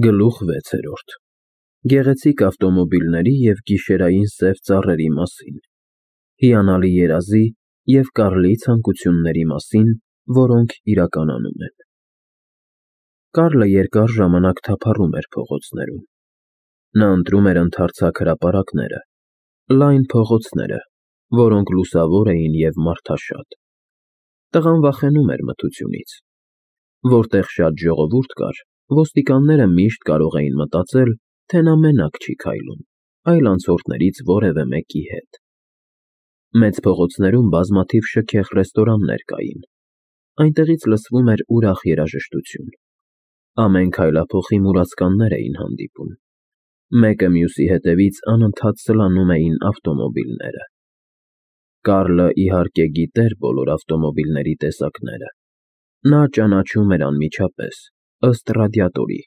Գլուխ 6 Գեղեցիկ ավտոմոբիլների և գիշերային սև ծառերի մասին, հիանալի երազի և Կարլի ցանկությունների մասին, որոնք իրականանում են։ Կարլը երկար ժամանակ թափառում էր փողոցներում։ Նա ընտրում էր ընդարձակ հրապարակները, լայն փողոցները, որոնք լուսավոր էին և մարդաշատ։ Տղան վախենում էր մթությունից։ Որտեղ շատ ժողովուրդ կար, ոստիկանները միշտ կարող էին մտածել, թե նա մենակ չի քայլում, այլ անցորդներից որևէ մեկի հետ։ Մեծ փողոցներում բազմաթիվ շքեղ ռեստորաններ կային։ Այնտեղից լսվում էր ուրախ երաժշտություն։ Ամեն քայլափոխի մուրացկաններ էին հանդիպում։ Մեկը մյուսի հետևից անընդհատ սլանում էին ավտոմոբիլները։ Կարլը, իհարկե, գիտեր բոլոր ավտոմոբիլների տեսակները։ Նա ճանաչում էր անմիջապես, ըստ ռադիատորի։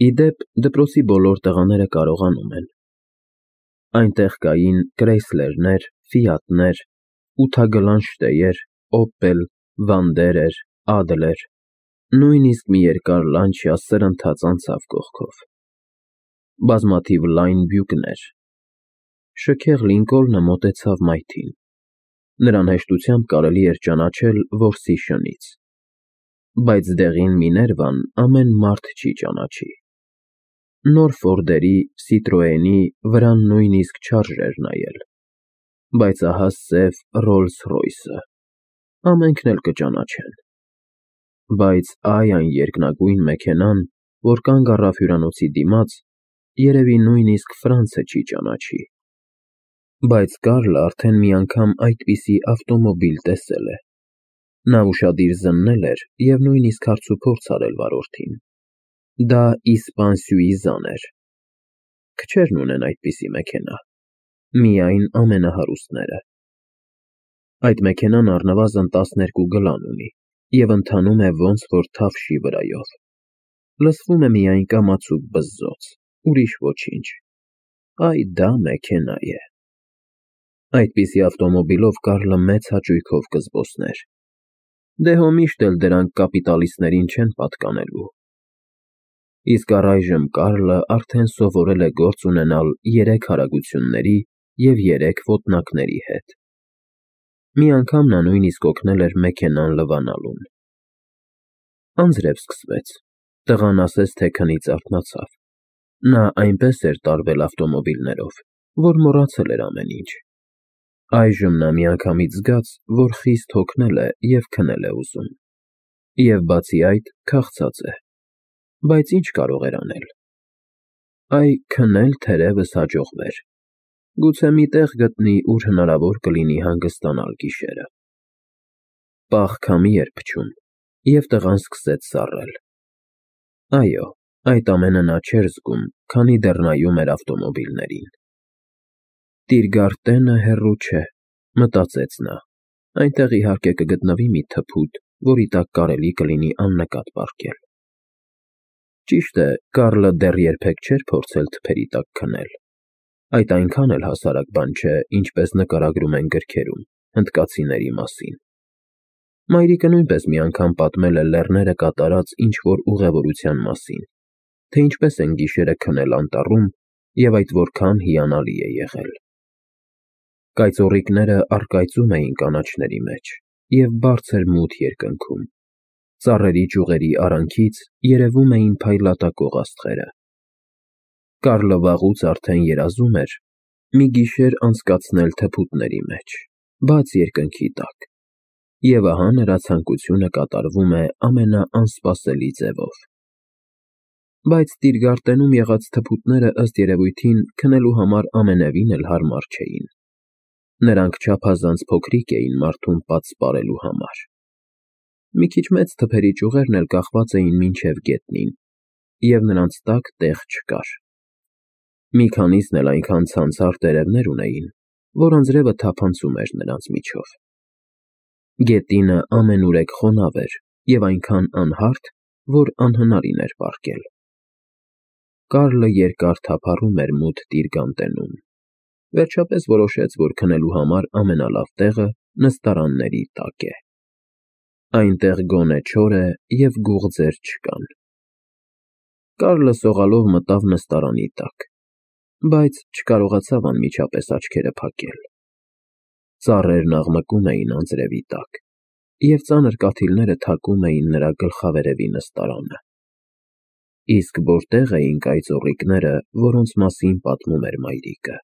Ի դեպ, դպրոցի բոլոր տղաները կարողանում են։ Այնտեղ կային Կրայսլերներ, Ֆիատներ, ութագլանշտեյեր, Օպել, Վանդերեր, Ադլեր, նույնիսկ մի երկար Լանչյա սրընթաց անցավ կողքով։ Բազմաթիվ լայն բյուկներ։ Շքեղ Լինկոլնը մոտեցավ մայթին։ Նրան հեշտությամբ կարելի էր ճանաչել որսի շնից։ Բայց դեղին Միներվան ամեն մարդ չի ճանաչի։ Նոր Ֆորդերի, Սիտրոենի վրան նույնիսկ չարժեր նայել։ Բայց ահա սև Ռոլս Ռոյսը ամենքն էլ կճանաչեն։ Բայց այն երկնագույն մեքենան, որ կանգ առավ հյուրանոցի դիմաց, երևի նույնիսկ Ֆրանցը չի ճանաչի։ Բայց Կարլը արդեն մի անգամ այդպիսի ավտոմոբիլ տեսել է։ Նա ուշադիր զննել էր և նույնիսկ հարցուփորձ արել վարորդին։ Դա իսպան Սյուիզան էր։ Քչերն ունեն այդպիսի մեքենա, միայն ամենահարուստները։ Այդ մեքենան առնվազն 12 գլան ունի և ընթանում է ոնց որ թավշի վրայով։ Լսվում է միայն կամացուկ բզզոց, ուրիշ ոչինչ։ Այ դա մեքենա է։ Այդպիսի ավտոմոբիլով Կարլը մեծ հաճույքով կզբոսներ։ Դե հո միշտ էլ դրանք կապիտալիստներին չեն պատկանելու։ Իսկ առայժմ Կարլը արդեն սովորել է գործ ունենալ 3 արագությունների և 3 ոտնակների հետ։ Մի անգամ նա նույնիսկ օգնել էր մեքենան լվանալուն։ Անձրև սկսվեց։ Տղան ասես թե քնից արթնացավ։ Նա այնպես էր տարվել ավտոմոբիլներով, որ մոռացել էր ամեն ինչ։ Այժմ նա միանգամից զգաց, որ խիստ հոգնել է և քնել է ուզում։ Եվ բացի այդ, քաղցած է։ Բայց ինչ կարող էր անել։ Այ քնել թերևս հաջողվեր։ Գուցե մի տեղ գտնի, ուր հնարավոր կլինի հանգստանալ գիշերը։ Պաղ քամի էր փչում, և տղան սկսեց սառել։ Այո, այդ ամենը նա չէր զգում, քանի դեռ նայում էր ավտոմոբիլներին։ Տիրգարտենը հեռու չէ, մտածեց նա։ Այնտեղ իհարկե կգտնվի մի թփուտ, որի տակ կարելի կլինի աննկատ պառկել։ Ճիշտ է, Կարլը դեռ երբեք չէր փորձել թփերի տակ քնել։ Այդ այնքան էլ հասարակ բան չէ, ինչպես նկարագրում են գրքերում, հնդկացիների մասին։ Մայրիկը նույնպես մի անգամ պատմել է լեռները կատարած ինչ֊որ ուղևորության մասին, թե ինչպես են գիշերը քնել անտառում և այդ որքան հիանալի է եղել։ Կայծոռիկները առկայծում էին կանաչների մեջ և բարձր մութ երկնքում։ Ծառերի ճյուղերի արանքից երևում էին փայլատակող աստղերը։ Կարլը վաղուց արդեն երազում էր մի գիշեր անցկացնել թփուտների մեջ, բաց երկնքի տակ, և ահա նրա ցանկությունը կատարվում է ամենաանսպասելի ձևով։ Բայց Տիրգարտենում եղած թփուտները ըստ երևույթին քնելու համար ամենևին էլ հարմար չէին։ Նրանք չափազանց փոքրիկ էին մարդուն պատ սպառելու համար։ Մի քիչ մեծ թփերի ճյուղերն էլ կախված էին մինչև գետնին, և նրանց տակ տեղ չկար։ Մի քանիսն էլ այնքան ցանցառ տերևներ ունեին, որ անձրևը թափանցում էր նրանց միջով։ Գետինը ամենուրեք խոնավ էր և այնքան անհարթ, որ անհնարին էր պառկել։ Կարլը երկար թափառում էր մութ Տիրգանտենում։ Վերջապես որոշեց, որ քնելու համար ամենալավ տեղը նստարանների տակ է։ Այնտեղ գոնե չոր է և գուղձեր չկան։ Կարլը սողալով մտավ նստարանի տակ, բայց չկարողացավ անմիջապես աչքերը փակել։ Ծառերն աղմկում էին անձրևի տակ, և ծանր կաթիլները թակում էին նրա գլխավերևի նստարանը։ Իսկ որտե՞ղ էին կայծոռիկները, որոնց մասին պատմում էր մայրիկը,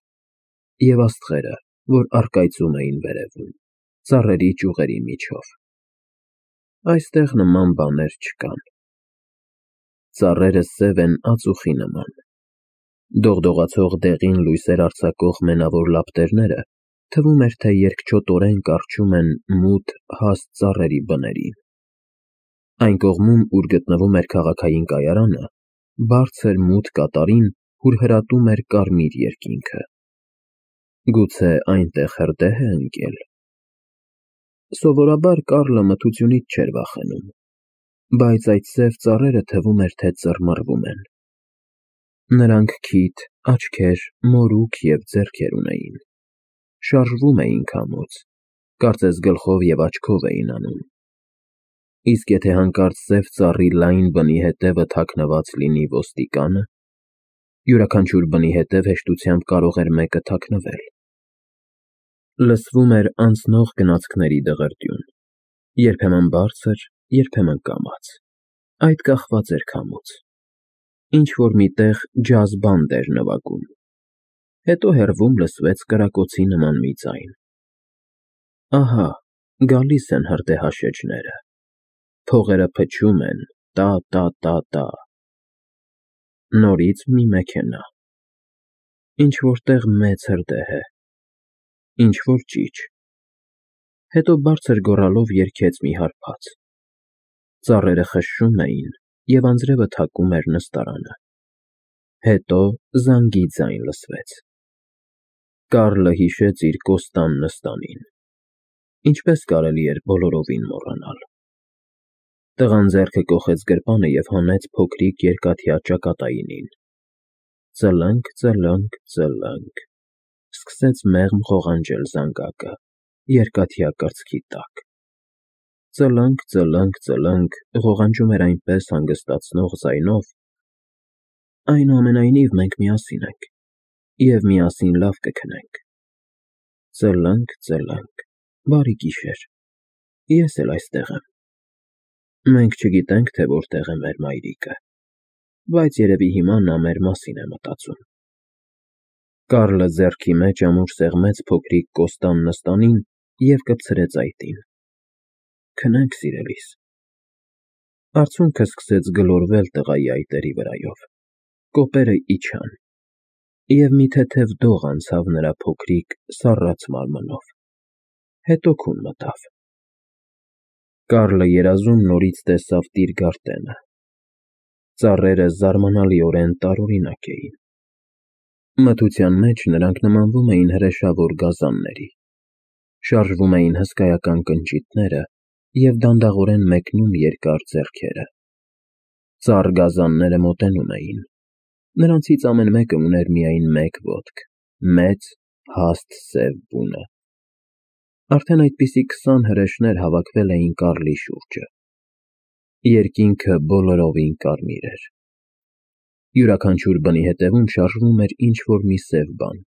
և աստղերը, որ առկայծում էին վերևում, ծառերի ճյուղերի միջով։ Այստեղ նման բաներ չկան։ Ծառերը սև են ածուխի նման։ Դողդողացող դեղին լույսեր արձակող մենավոր լապտերները թվում էր, թե երկչոտորեն կառչում են մութ, հաստ ծառերի բներին։ Այն կողմում, ուր գտնվում էր քաղաքային կայարանը, բարձր մութ կատարին հուրհրատում էր կարմիր երկինքը։ Գուցե այնտեղ հրդեհ է ընկել։ Սովորաբար Կարլը մթությունից չէր վախենում, բայց այդ սև ծառերը թվում էր, թե ծռմռվում են։ Նրանք քիթ, աչքեր, մորուք և ձեռքեր ունեին։ Շարժվում էին քամուց, կարծես գլխով և աչքով էին անում։ Իսկ եթե հանկարծ սև ծառի լայն բնի հետևը թաքնված լինի ոստիկանը, յուրաքանչյուր բնի հետև հեշտությամբ կարող էր մեկը թաքնվել։ Լսվում էր անցնող գնացքների դղրդյուն, երբեմն բարձր, երբեմն կամաց, այդ կախված էր քամուց։ Ինչ-որ մի տեղ ջազ բանդ էր նվագում, հետո հեռվում լսվեց կրակոցի նման մի ձայն։ Ահա, գալիս են հրդեհաշեջները, փողերը փչում են, տա՛, նորից մի մեքենա։ Ինչ-որ տեղ մեծ հրդեհ է, ինչ-որ ճիչ։ Հետո բարձր գոռալով երգեց մի հարբած։ Ծառերը խշշում էին, և անձրևը թակում էր նստարանը։ Հետո զանգի ձայն լսվեց։ Կարլը հիշեց իր կոստան նստանին։ Ինչպես կարելի էր բոլորովին մոռանալ։ Տղան ձեռքը կոխեց գրպանը և հանեց փոքրիկ երկաթյա ճակատայինին։ Ծլնգ, սկսեց մեղմ ղողանջել զանգակը երկաթյա կրծքի տակ։ Ծլնգ, ղողանջում էր այնպես հանգստացնող ձայնով. այնուամենայնիվ մենք միասին ենք, և միասին լավ կքնենք։ Ծլնգ, բարի գիշեր, ես էլ այստեղ եմ։ Մենք չգիտենք, թե որտեղ է մեր մայրիկը, բայց երևի հիմա նա մեր մասին է մտածում։ Կարլը ձեռքի մեջ ամուր սեղմեց փոքրիկ կոստան նստանին և կպցրեց այտին։ Քնենք, սիրելիս։ Արցունքը սկսեց գլորվել տղայի այտերի վրայով, կոպերը իջան, և մի թեթև դող անցավ նրա փոքրիկ, սառած մարմնով, հետո քուն մտավ։ Կարլը երազում նորից տեսավ Տիրգարտենը։ Ծառերը զարմանալիորեն տարօրինակ էին։ Մթության մեջ նրանք նմանվում էին հրեշավոր գազանների, շարժվում էին հսկայական կնճիթները և դանդաղորեն մեկնում երկար ձեռքերը։ Ծառ գազանները մոտենում էին։ Նրանցից ամեն մեկը ուներ միայն մեկ ոտք, մեծ, հաստ սև բունը։ Արդեն այդպիսի 20 հրեշներ հավաքվել էին Կարլի շուրջը։ Երկինքը բոլորովին կարմիր էր։ Յուրաքանչյուր բնի հետևում շարժվում էր ինչ-որ մի սև բան։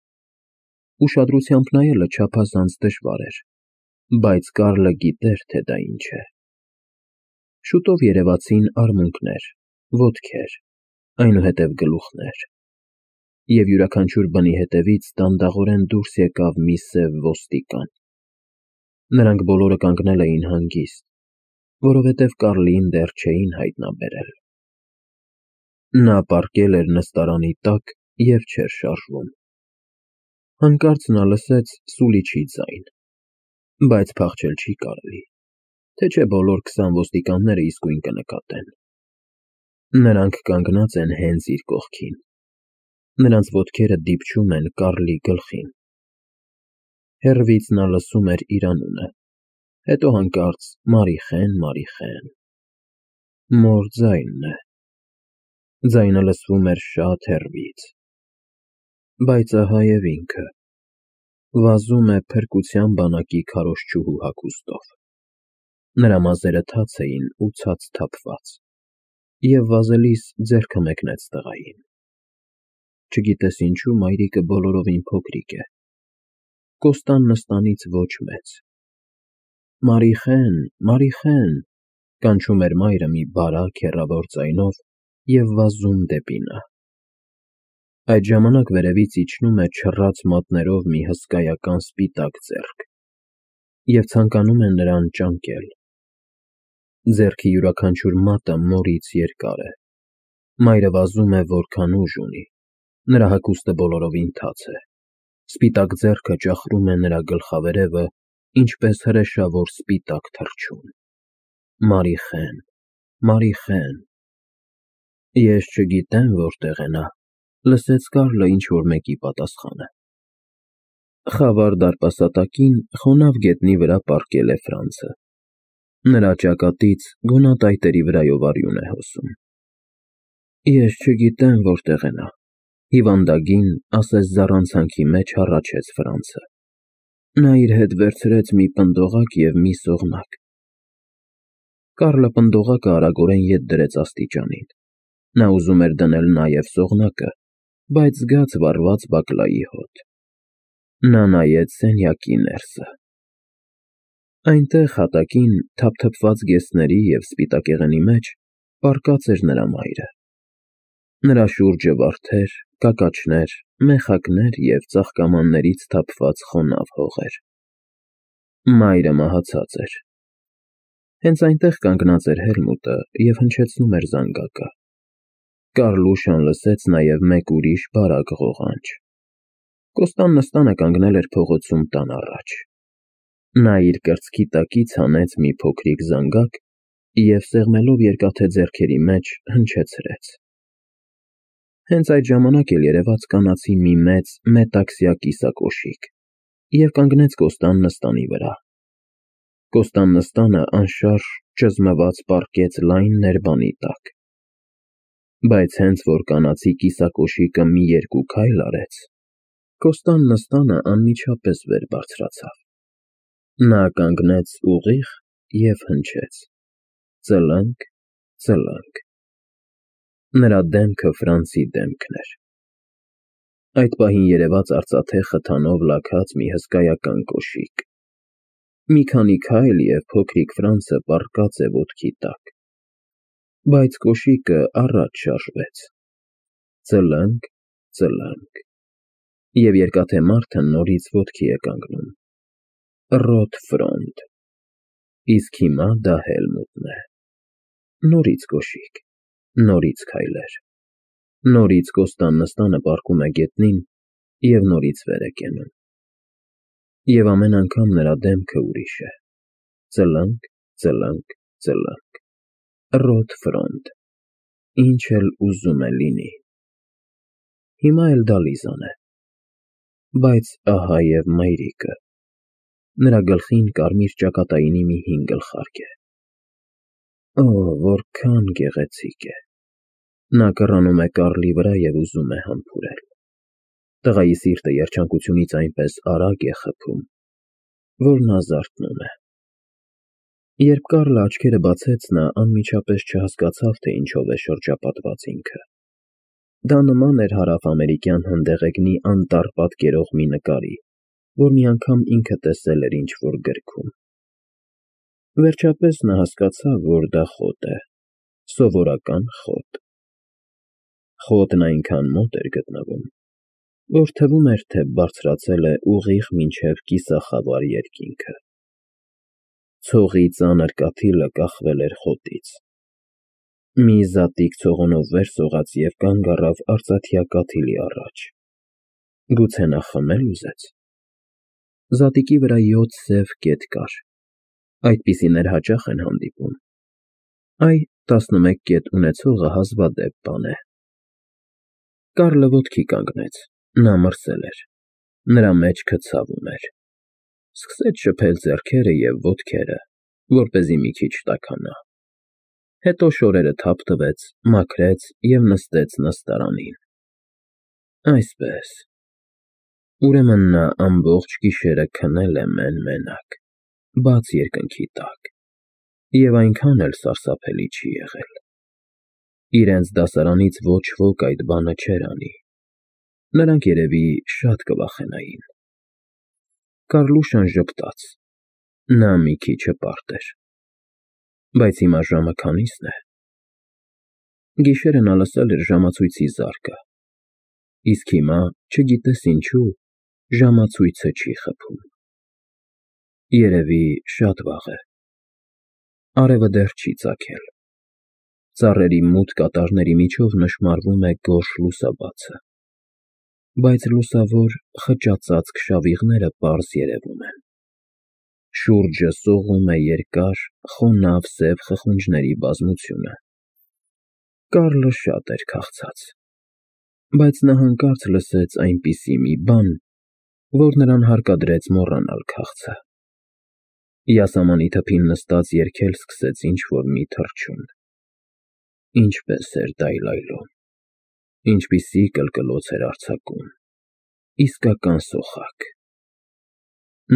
Ուշադրությամբ նայելը չափազանց դժվար էր, բայց Կարլը գիտեր, թե դա ինչ է։ Շուտով երևացին արմունկներ, ոտքեր, այնուհետև գլուխներ, և յուրաքանչյուր բնի հետևից դանդաղորեն դուրս եկավ մի սև ոստիկան։ Նրանք բոլորը կանգնել էին հանգիստ, որովհետև Կարլին դեռ չէին հայտնաբերել։ Նա պառկել էր նստարանի տակ և չէր շարժվում։ Հանկարծ նա լսեց սուլիչի ձայն, բայց փախչել չի կարելի, թե չէ բոլոր 20 ոստիկանները իսկույն կնկատեն։ Նրանք կանգնած են հենց իր կողքին։ Նրանց ոտքերը դիպչում են Կարլի գլխին։ Հեռվից նա լսում էր իր անունը, հետո հանկարծ Մարիխեն։ Մոր ձայնն է։ Ձայնը լսվում էր շատ հեռվից։ Բայց ահա և ինքը վազում է փրկության բանակի քարոզչուհու հագուստով։ Նրա մազերը թաց էին ու ցած թափված։ և վազելիս ձեռքը մեկնեց տղային։ Չգիտես ինչու մայրիկը բոլորովին փոքրիկ է, Կոստան Նստանից ոչ մեծ։ Մարիխեն, Մարիխեն, կանչում էր մայրը մի բարակ հեռավոր ձայնով և վազում դեպի նա։ Այդ ժամանակ վերևից իջնում է չռած մատներով մի հսկայական սպիտակ ձեռք և ցանկանում է նրան ճանկել։ Ձեռքի յուրաքանչյուր մատը մորից երկար է։ Մայրը վազում է որքան ուժ ունի, նրա հագուստը բոլորովին թաց է։ Սպիտակ ձեռքը ճախրում է նրա գլխավերևը, ինչպես հրեշավոր սպիտակ թռչուն։ Մարիխեն, Մարիխեն։ Ես չգիտեմ որտեղ է նա, լսեց Կարլը ինչ-որ մեկի պատասխանը։ Խավար դարպասատակին խոնավ գետնի վրա պառկել է Ֆրանցը։ Նրա ճակատից գունատայտերի վրայով արյուն է հոսում։ Ես չգիտեմ որտեղ է նա, հիվանդագին, ասես զառանցանքի մեջ հառաչեց Ֆրանցը։ Նա իր հետ վերցրեց մի պնդողակ և մի սողնակ։ Կարլը պնդողակը արագորեն ետ դրեց աստիճանին։ Նա ուզում էր դնել նաև սողնակը, բայց զգաց վառված բակլայի հոտ։ Նա նայեց սենյակի ներսը։ Այնտեղ հատակին, թափթփված գեստների և սպիտակեղենի մեջ, պառկած էր նրա մայրը։ Նրա շուրջը վարդեր, կակաչներ, մեխակներ և ծաղկամաններից թափված խոնավ հողեր։ Մայրը մահացած էր։ Հենց այնտեղ կանգնած էր Հելմուտը և հնչեցնում էր զանգակը։ Կարլուշան լսեց նաև մեկ ուրիշ բարակ ղողանջ։ Կոստան Նստանը կանգնել էր փողոցում տան առաջ։ Նա իր կրծքի տակից հանեց մի փոքրիկ զանգակ և սեղմելով երկաթե ձեռքերի մեջ հնչեցրեց։ Հենց այդ ժամանակ էլ երևաց կանացի մի մեծ մետաքսյա կիսակոշիկ և կանգնեց Կոստան Նստանի վրա։ Կոստան Նստանը անշարժ ճզմված պառկեց լայն ներբանի տակ։ Բայց հենց որ կանացի կիսակոշիկը մի երկու քայլ արեց, Կոստան Նստանը անմիջապես վեր բարձրացավ։ Նա կանգնեց ուղիղ և հնչեց. ծլնգ, ծլնգ։ Նրա դեմքը Ֆրանցի դեմքն էր։ Այդ պահին երևաց արծաթե խթանով լաքած մի հսկայական կոշիկ։ Մի քանի քայլ և փոքրիկ Ֆրանցը պառկած է ոտքի տակ։ Բայց կոշիկը առաջ շարժվեց. ծլնգ, ծլնգ։ Եվ երկաթե մարդը նորից ոտքի է կանգնում։ Ռոտ ֆրոնտ։ Իսկ հիմա դա Հելմուտն է։ Նորից կոշիկ, նորից քայլեր։ Նորից Կոստան Նստանը պառկում է գետնին և նորից վեր է կենում։ Եվ ամեն անգամ նրա դեմքը ուրիշ է. ծլնգ, ծլնգ, ծլնգ։ Ռոտ ֆրոնտ։ Ինչ էլ ուզում է լինի։ Հիմա էլ դա Լիզան է։ Բայց ահա և մայրիկը։ Նրա գլխին կարմիր ճակատայինի մի հին գլխարկ է։ Օ, որքան գեղեցիկ է։ Նա կռանում է Կարլի վրա և ուզում է համբուրել։ Տղայի սիրտը երջանկությունից այնպես արագ է խփում, որ նա զարթնում է։ Երբ Կարլը աչքերը բացեց, նա անմիջապես չհասկացավ, թե ինչով է շրջապատված ինքը։ Դա նման էր հարավամերիկյան հնդեղեգնի անտառ պատկերող մի նկարի, որ մի անգամ ինքը տեսել էր ինչ-որ գրքում։ Վերջապես նա հասկացավ, որ դա խոտ է, սովորական խոտ։ Խոտն այնքան մոտ էր գտնվում, որ թվում էր, թե բարձրացել է ուղիղ մինչև կիսախավար երկինքը։ Ցողի ծանր կաթիլը կախվել էր խոտից։ Մի զատիկ ցողունով վեր սողաց և կանգ առավ արծաթյա կաթիլի առաջ։ Գուցե նա խմել ուզեց։ Զատիկի վրա 7 սև կետ կար։ Այդպիսիներ հաճախ են հանդիպում։ Այ 11 կետ ունեցողը հազվադեպ բան է։ Կարլը ոտքի կանգնեց։ Նա մրսել էր։ Նրա մեջքը ցավում էր։ Սկսեց շփել ձեռքերը և ոտքերը, որպեսզի մի քիչ տաքանա։ Հետո շորերը թափ տվեց, մաքրեց և նստեց նստարանին։ Այսպես։ Ուրեմն նա ամբողջ գիշերը քնել է մեն֊մենակ, բաց երկնքի տակ, և այնքան էլ սարսափելի չի եղել։ Իրենց դասարանից ոչ ոք այդ բանը չէր անի։ Նրանք երևի շատ կվախենային։ Կարլուշան ժպտաց։ Նա մի քիչ հպարտ էր։ Բայց հիմա ժամը քանի՞սն է։ Գիշերը նա լսել էր ժամացույցի զարկը։ Իսկ հիմա, չգիտես ինչու, ժամացույցը չի խփում։ Երևի շատ վաղ է։ Արևը դեռ չի ծագել։ Ծառերի մութ կատարների միջով նշմարվում է գորշ լուսաբացը։ Բայց լուսավոր խճածած քշավիղները պարզ երևում են։ Շուրջը սողում է երկար, խոնավ սև խխունջների բազմությունը։ Կարլը շատ էր քաղցած։ Բայց նա հանկարծ լսեց այնպիսի մի բան, որ նրան հարկադրեց մոռանալ քաղցը։ Յասամանի թփին նստած երգել սկսեց ինչ֊որ մի թռչուն։ Ինչպես էր դայլայլում, ինչպիսի կլկլոց էր արձակում, իսկական սոխակ։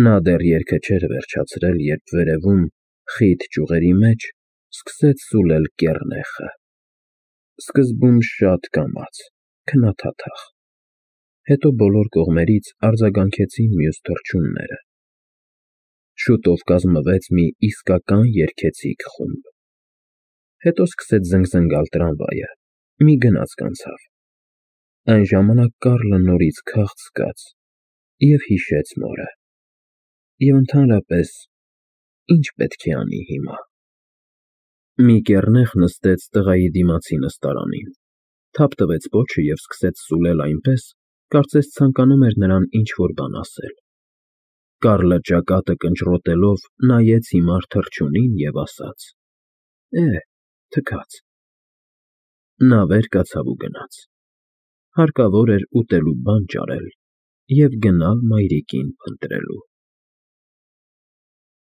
Նա դեռ երգը չէր վերջացրել, երբ վերևում, խիտ ճյուղերի մեջ, սկսեց սուլել կեռնեխը։ Սկզբում շատ կամաց, քնաթաթախ։ Հետո բոլոր կողմերից արձագանքեցին մյուս թռչունները։ Շուտով կազմվեց մի իսկական երգեցիկ խումբ։ Հետո սկսեց զնգզնգալ տրամվայը, մի գնացք անցավ։ Այն ժամանակ Կարլը նորից քաղց զգաց և հիշեց մորը։ Եվ ընդհանրապես, ինչ պետք է անի հիմա։ Մի կեռնեխ նստեց տղայի դիմացի նստարանին, թափ տվեց պոչը և սկսեց սուլել այնպես, կարծես ցանկանում էր նրան ինչ֊որ բան ասել։ Կարլը ճակատը կնճռոտելով նայեց հիմար թռչունին և ասաց. թքած։ Նա վեր կացավ ու գնաց։ Հարկավոր էր ուտելու բան ճարել և գնալ մայրիկին փնտրելու։